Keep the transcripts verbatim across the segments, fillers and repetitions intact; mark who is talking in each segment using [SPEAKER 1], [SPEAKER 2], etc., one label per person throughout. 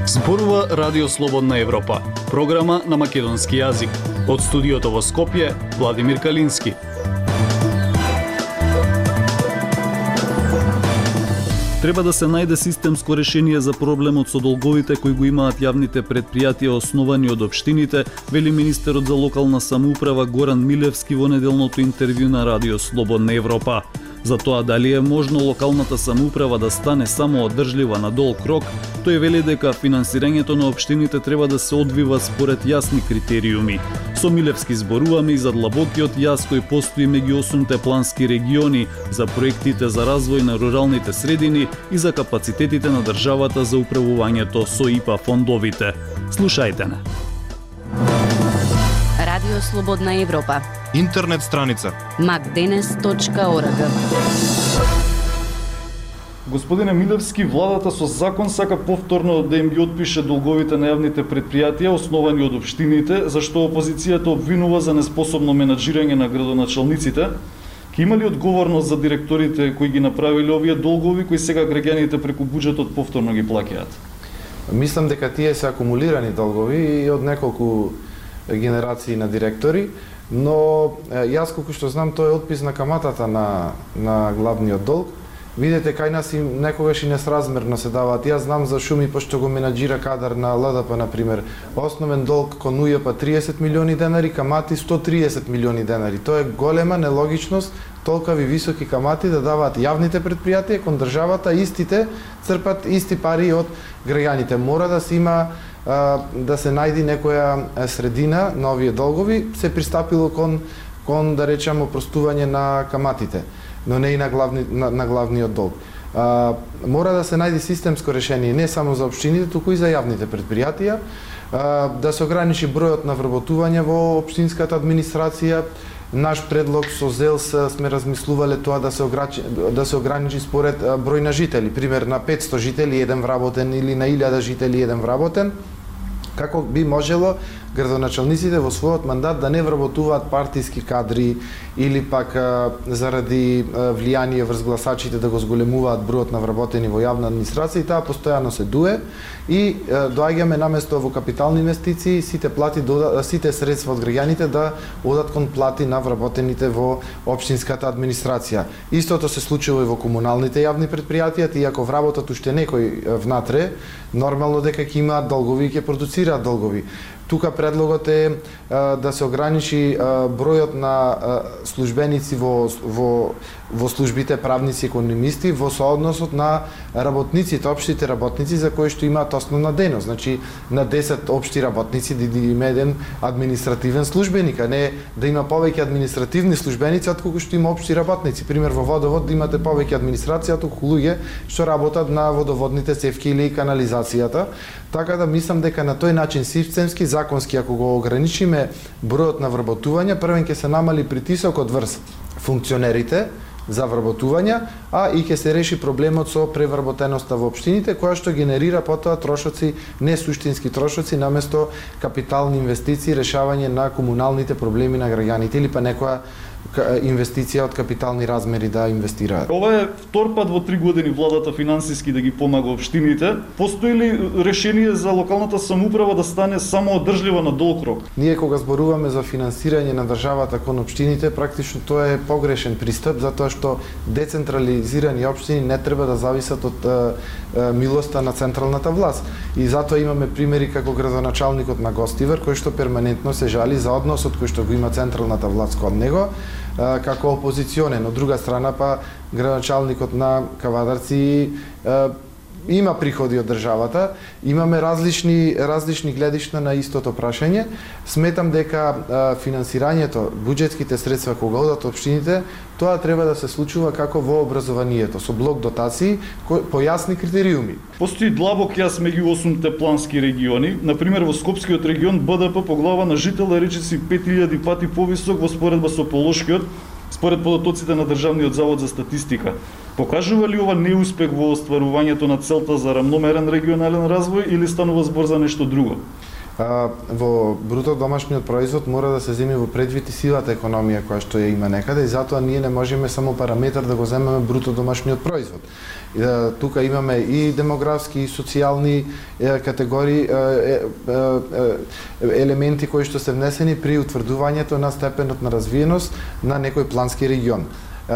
[SPEAKER 1] Зборува Радио Слободна Европа, програма на македонски јазик. Од студиото во Скопје, Владимир Калински. Треба да се најде системско решение за проблемот со долговите кои го имаат јавните предпријатија основани од општините, вели министерот за локална самоуправа Горан Милевски во неделното интервју на Радио Слободна Европа. За тоа дали е можно локалната самоуправа да стане само одржлива на долг рок, тој вели дека финансирањето на општините треба да се одвива според јасни критериуми. Со Милевски зборуваме и за длабокиот јаз кој постои меѓу осумте плански региони, за проектите за развој на руралните средини и за капацитетите на државата за управувањето со ИПА фондовите. Слушајте не.
[SPEAKER 2] Радио Слободна Европа.
[SPEAKER 3] Интернет страница
[SPEAKER 2] макденес точка орг.
[SPEAKER 4] Господине Милевски, владата со закон сака повторно да им ги отпише долговите на јавните предпријатија основани од општините, зашто опозицијата обвинува за неспособно менаџирање на градоначалниците. Ке има ли одговорност за директорите кои ги направиле овие долгови, кои сега граѓаните преку буџетот повторно ги плаќаат?
[SPEAKER 5] Мислам дека тие се акумулирани долгови и од неколку генерации на директори, но јас колку што знам тој е отпис на каматата на на главниот долг. Видете кај нас и некогаш и несразмерно се даваат. Јас знам за шуми пошто го менаџира кадар на ЛДП на пример. Основен долг кон УЈП триесет милиони денари, камати сто триесет милиони денари. Тоа е голема нелогичност, толкави високи камати да даваат јавните предпријатија кон државата, истите црпат исти пари од граѓаните. Мора да се има да се најди некоја средина на овие долгови, се пристапило кон кон да речеме опростување на каматите, но не и на главни на, на главниот долг. А, мора да се најди системско решение не само за општините, туку и за јавните предпријатија, а, да се ограничи бројот на вработување во општинската администрација. Наш предлог со ЗЕЛС сме размислувале тоа да се ограничи, да се ограничи според број на жители, пример на петсто жители еден вработен или на илјада жители еден вработен. Како би можело градоначалниците во својот мандат да не вработуваат партиски кадри или пак а, заради а, влијание врз гласачите да го зголемуваат бројот на вработени во јавна администрација, и таа постојано се дуе и а, доаѓаме наместо во капитални инвестиции сите плати дода, сите средства од граѓаните да одат кон плати на вработените во општинската администрација. Истото се случува и во комуналните јавни предпријатија, иако вработат уште некој внатре, нормално дека ќе имаат долгови и ќе продуцираат долгови. Тука предлогот е а, да се ограничи а, бројот на а, службеници во, во, во службите правници и економисти во соодносот на работниците, општите работници за кои што имаат основна дејност. Значи на десет општи работници да, да има еден административен службеник, а не да има повеќе административни службеници отколку што има општи работници. Пример во водовод да имате повеќе администрација отколку луѓе што работат на водоводните цевки или канализацијата. Така да мислам дека на тој начин системски, законски, ако го ограничиме бројот на вработување, првен ќе се намали притисокот врз функционерите за вработување, а и ќе се реши проблемот со превработеноста во општините, која што генерира потоа трошоци, не суштински трошоци, наместо капитални инвестиции, решавање на комуналните проблеми на граѓаните или па некоја инвестиција од капитални размери да инвестираат.
[SPEAKER 4] Ова е втор пат во три години владата финансиски да ги помага општините. Постои ли решение за локалната самоуправа да стане само одржлива на долг рок?
[SPEAKER 5] Ние кога зборуваме за финансирање на државата кон општините, практично тоа е погрешен пристап, затоа што децентрализирани општини не треба да зависат од е, е, милоста на централната власт. И затоа имаме примери како градоначалникот на Гостивар, кој што перманентно се жали за односот кој што го има централната власт кон него, како опозиционен. Од друга страна па градоначалникот на Кавадарци има приходи од државата, имаме различни различни гледишта на истото прашање. Сметам дека а, финансирањето, буџетските средства кога одат општините, тоа треба да се случува како во образованието, со блок дотации по јасни критериуми.
[SPEAKER 4] Постои длабок јас меѓу осумте плански региони. Например, во Скопскиот регион БДП по глава на жител е речиси пет илјади пати повисок во споредба со Полошкиот, според податоците на Државниот завод за статистика. Покажува ли ова неуспех во остварувањето на целта за рамномерен регионален развој или станува збор за нешто друго?
[SPEAKER 5] Во бруто домашниот производ мора да се земе во предвид и сивата економија која што ја има некаде и затоа ние не можеме само параметар да го земеме бруто домашниот производ. И да, тука имаме и демографски и социјални е, категории е, е, е, елементи кои што се внесени при утврдувањето на степенот на развиеност на некој плански регион.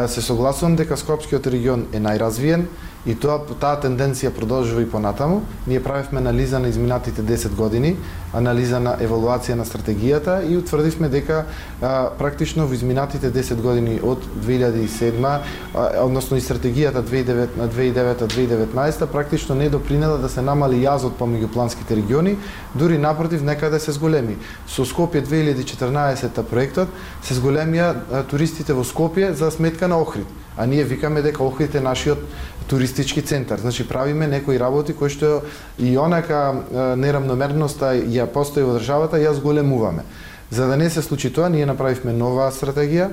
[SPEAKER 5] Се согласувам дека Скопскиот регион е најразвиен и тоа таа тенденција продолжува и понатаму. Ние правевме анализа на изминатите десет години, анализа на евалуација на стратегијата и утврдивме дека а, практично во изминатите десет години од две илјади и седма, а, односно и стратегијата две илјади и девета - две илјади и деветнаесета практично не допринела да се намали јазот помеѓу планските региони, дури напротив некаде се зголеми. Со Скопје две илјади и четрнаесета проектот се зголемија а, туристите во Скопје за сметка на Охрид. А ние викаме дека Охрид е нашиот туристички центар. Значи правиме некои работи кои што и онака неравномерноста ја постои во државата, ја зголемуваме. За да не се случи тоа, ние направивме нова стратегија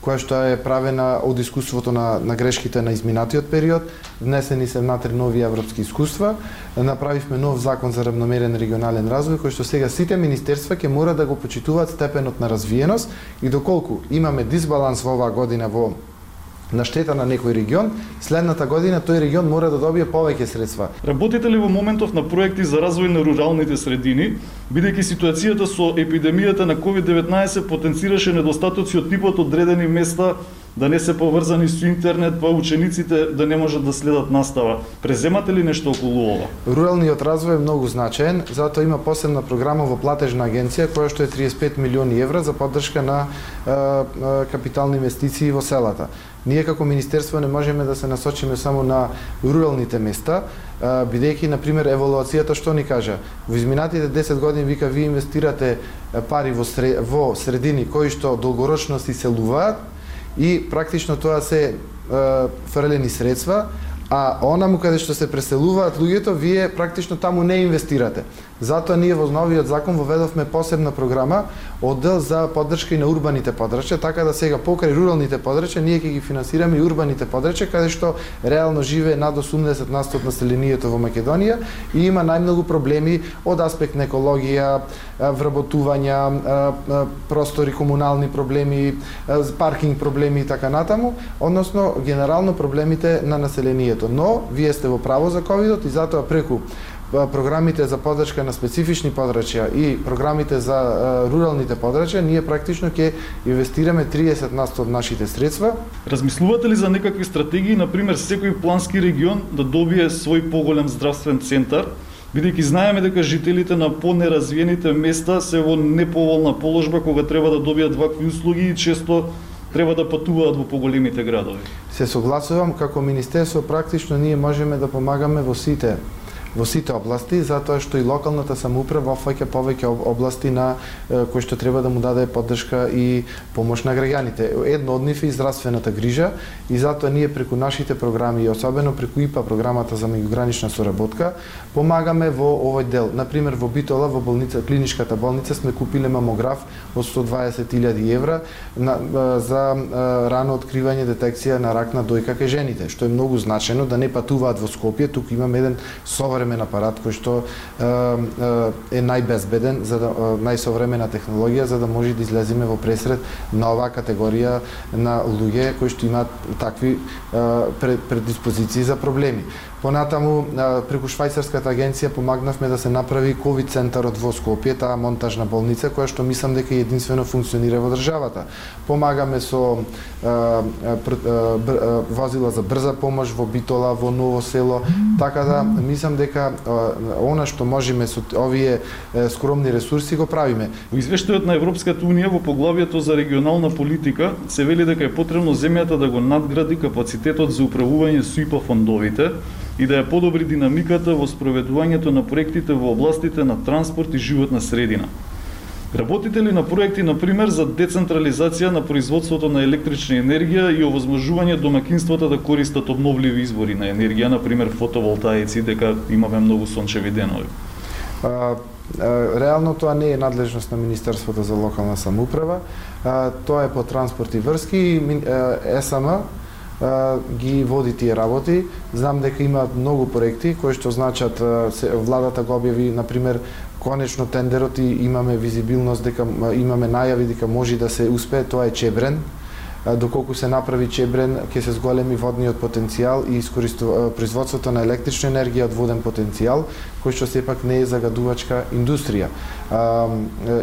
[SPEAKER 5] која што е правена од искуството на, на грешките на изминатиот период, внесени се внатре нови европски искуства, направивме нов закон за равномерен регионален развој, кој што сега сите министерства ќе мора да го почитуваат степенот на развиеност и доколку имаме дисбаланс во оваа година во на штета на некој регион, следната година тој регион мора да добие повеќе средства.
[SPEAKER 4] Работите ли во моментов на проекти за развој на руралните средини, бидејќи ситуацијата со епидемијата на ковид деветнаесет потенцираше недостатоци од типот одредени места да не се поврзани со интернет, па учениците да не можат да следат настава. Преземате ли нешто околу ова?
[SPEAKER 5] Руралниот развој е многу значаен, затоа има посебна програма во платежна агенција која што е триесет и пет милиони евра за поддршка на е, е, капитални инвестиции во селата. Ние како министерство не можеме да се насочиме само на руралните места, бидејќи на пример евалуацијата што ни кажа. Во изминатите десет години вика вие инвестирате пари во, сред, во средини кои што долгорочно се иселуваат и практично тоа се е, фрлени средства, а онаму каде што се преселуваат луѓето, вие практично таму не инвестирате. Затоа ние во новиот закон воведовме посебна програма, оддел за поддршка и на урбаните подрачја, така да сега покрај руралните подрачја ние ќе ги финансираме и урбаните подрачја, каде што реално живее над осумдесет на сто од населението во Македонија и има најмногу проблеми од аспект на екологија, вработувања, простори, комунални проблеми, паркинг проблеми и така натаму, односно генерално проблемите на населението. Но вие сте во право за ковидот и затоа преку програмите за поддршка на специфични подрачја и програмите за руралните подрачја, ние практично ќе инвестираме триесет на сто од нашите средства.
[SPEAKER 4] Размислувате ли за некакви стратегии, например секој плански регион да добие свој поголем здравствен центар, бидејќи знаеме дека жителите на понеразвиените места се во неповолна положба кога треба да добијат вакви услуги и често треба да патуваат во поголемите градови?
[SPEAKER 5] Се согласувам, како министерство практично ние можеме да помагаме во сите во сите области, затоа што и локалната самоуправа опфаќа повеќе области на кои што треба да му даде поддршка и помош на граѓаните. Едно од нив е и здравствената грижа и затоа ние преку нашите програми, особено преку ИПА програмата за меѓугранична соработка, помагаме во овој дел. Например, во Битола, во болница, клиничката болница сме купиле мамограф од сто дваесет илјади евра на, за рано откривање детекција на рак на дојка кај жените, што е многу значајно да не патуваат во Скопје. Тук имаме еден современ апарат кој што е, е најбезбеден, за да, најсовремена технологија за да може да излеземе во пресред на оваа категорија на луѓе кои што имаат такви предиспозиции за проблеми. Понатаму, преку швајцарската агенција помагнавме да се направи ковид центарот во Скопје, таа монтажна болница која што мислам дека единствено функционира во државата. Помагаме со а, а, а, возила за брза помош во Битола, во Ново село, така да мислам дека а, она што можеме со овие а, скромни ресурси го правиме.
[SPEAKER 4] Во извештајот на Европската унија во поглавието за регионална политика се вели дека е потребно земјата да го надгради капацитетот за управување со ИПА фондовите и да ја подобри динамиката во спроведувањето на проектите во областите на транспорт и животна средина. Работите ли на проекти, например, за децентрализација на производството на електрична енергија и овозможување домакинствата да користат обновливи извори на енергија, например фотоволтаици, дека имаме многу сончеви денови?
[SPEAKER 5] А, реално тоа не е надлежност на Министерството за локална самоуправа, а, тоа е по транспорт и врски и ЕСМ ги води тие работи. Знам дека имаат многу проекти кои што значат владата го објави, например, конечно тендерот и имаме визибилност дека имаме најави дека може да се успее, тоа е Чебрен. Доколку се направи Чебрен, ќе се зголеми водниот потенцијал и производството на електрична енергија од воден потенцијал, кој што сепак не е загадувачка индустрија. А,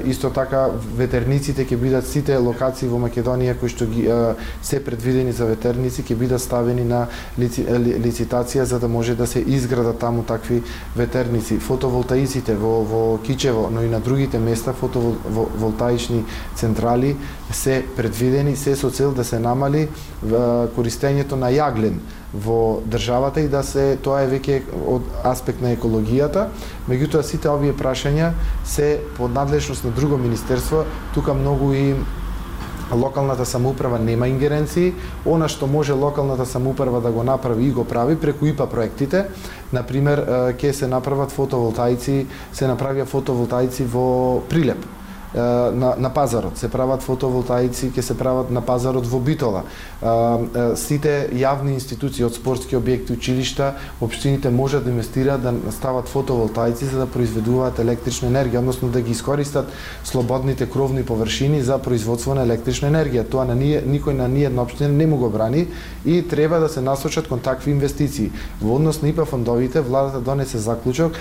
[SPEAKER 5] исто така ветерниците ќе бидат сите локации во Македонија кои што ги а, се предвидени за ветерници ќе бидат ставени на лици, ли, лицитација за да може да се изградат таму такви ветерници. Фотоволтаиците во во Кичево, но и на другите места фотоволтаични централи се предвидени, се со цел да се намали а, користењето на јаглен во државата и да се, тоа е веќе од аспект на екологијата, меѓутоа сите овие прашања се под надлежност на друго министерство, тука многу и локалната самоуправа нема ингеренции, она што може локалната самоуправа да го направи и го прави преку ИПА проектите, например, ќе се направат фотоволтаици, се направија фотоволтаици во Прилеп, на, на пазарот, се прават фотоволтаици, ќе се прават на пазарот во Битола. Сите јавни институции од спортски објекти, училишта, општините можат да инвестираат да стават фотоволтаици за да произведуваат електрична енергија, односно да ги искористат слободните кровни површини за производство на електрична енергија. Тоа на ние, никој на ниједна општина не му го брани и треба да се насочат кон такви инвестиции. Во однос на ИПА фондовите, владата донесе заклучок,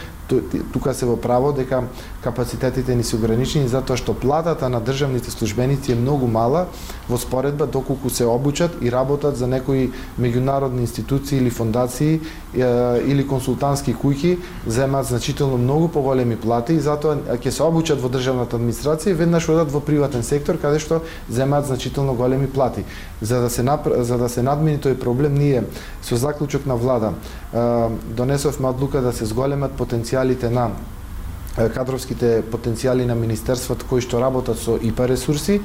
[SPEAKER 5] тука се во право дека капацитетите ни се ограничени затоа што платата на државните службеници е многу мала во споредба доколку се обучат и работат за некои меѓународни институции или фондации е, или консултантски куќи, земаат значително многу поголеми плати и затоа ќе се обучат во државната администрација и веднаш одат во приватен сектор каде што земаат значително големи плати. За да се напр... за да се надмини тој проблем, ние со заклучок на влада е, донесовме одлука да се зголемат потенцијалите на кадровските потенцијали на министерството кои што работат со ИПА ресурси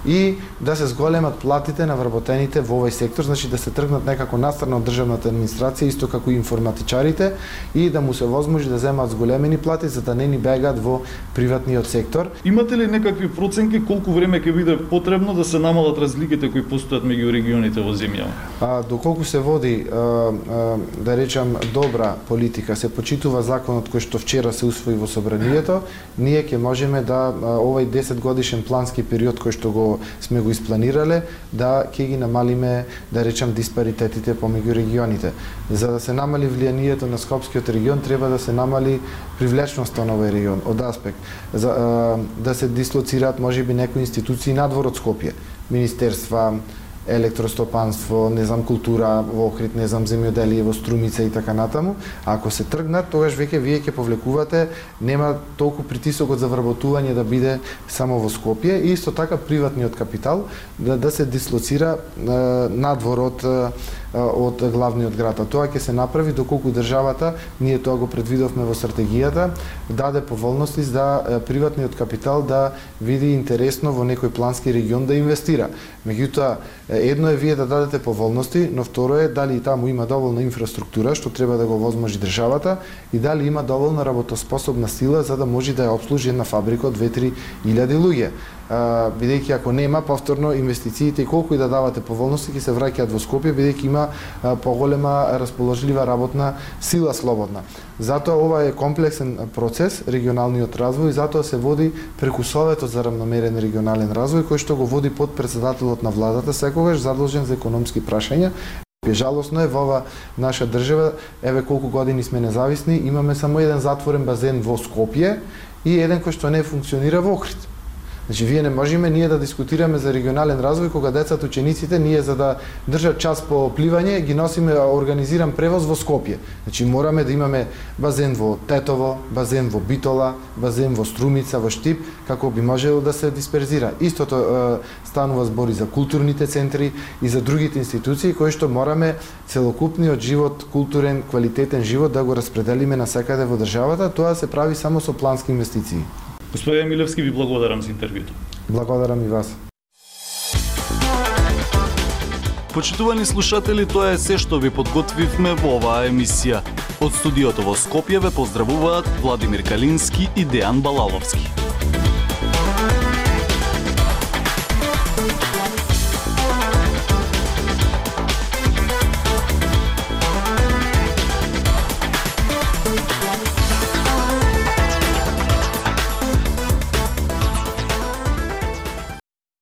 [SPEAKER 5] и да се зголемат платите на вработените во овој сектор, значи да се тргнат некако настрана од државната администрација, исто како и информатичарите, и да му се возможи да земаат зголемени плати за да не ни бегаат во приватниот сектор.
[SPEAKER 4] Имате ли некакви проценки колку време ќе биде потребно да се намалат разликите кои постојат меѓу регионите во земјава?
[SPEAKER 5] А, доколку се води, а, а, да речам, добра политика, се почитува законот кој што вчера се усвои во собранието, ние ќе можеме да овој десет годишен плански период кој што го сме го испланирале, да ќе ги намалиме, да речам, диспаритетите помеѓу регионите. За да се намали влијанието на Скопскиот регион, треба да се намали привлечноста на овој регион од аспект за, да се дислоцираат можеби некои институции надвор од Скопје, министерства, електростопанство, не знам, култура во Охрид, не знам, земјоделие во Струмица и така натаму. А ако се тргнат, тогаш веќе вие ќе повлекувате, нема толку притисокот за вработување да биде само во Скопје и исто така приватниот капитал да, да се дислоцира е, надвор од од главниот град. А тоа ќе се направи доколку државата, ние тоа го предвидовме во стратегијата, даде поволности за приватниот капитал да види интересно во некој плански регион да инвестира. Меѓутоа, едно е вие да дадете поволности, но второ е дали и таму има доволна инфраструктура што треба да го возможи државата и дали има доволна работоспособна сила за да може да ја обслужи една фабрика од две-три илјади луѓе. Бидејќи ако нема, повторно инвестициите и колку и да давате поволности ќе се враќаат во Скопје, бидејќи има поголема расположлива работна сила слободна. Затоа ова е комплексен процес, регионалниот развој, и затоа се води преку Советот за равномерен регионален развој, кој што го води под председателот на владата, секогаш задолжен за економски прашања. Жалосно е во ова наша држава, еве колку години сме независни, имаме само еден затворен базен во Скопје и еден кој што не функционира во Охрид. Значи, вие не можеме ние да дискутираме за регионален развој кога децата, учениците, ние за да држат час по пливање, ги носиме организиран превоз во Скопје. Значи, мораме да имаме базен во Тетово, базен во Битола, базен во Струмица, во Штип, како би можело да се дисперзира. Истото е, станува збори за културните центри и за другите институции, кои што мораме целокупниот живот, културен, квалитетен живот да го распределиме насекаде во државата. Тоа се прави само со плански инвестиции.
[SPEAKER 4] Господин Милевски, ви благодарам за интервјуто.
[SPEAKER 5] Благодарам и вас.
[SPEAKER 1] Почитувани слушатели, тоа е се што ви подготвивме во оваа емисија. Од студиото во Скопје ве поздравуваат Владимир Калински и Дејан Балаловски.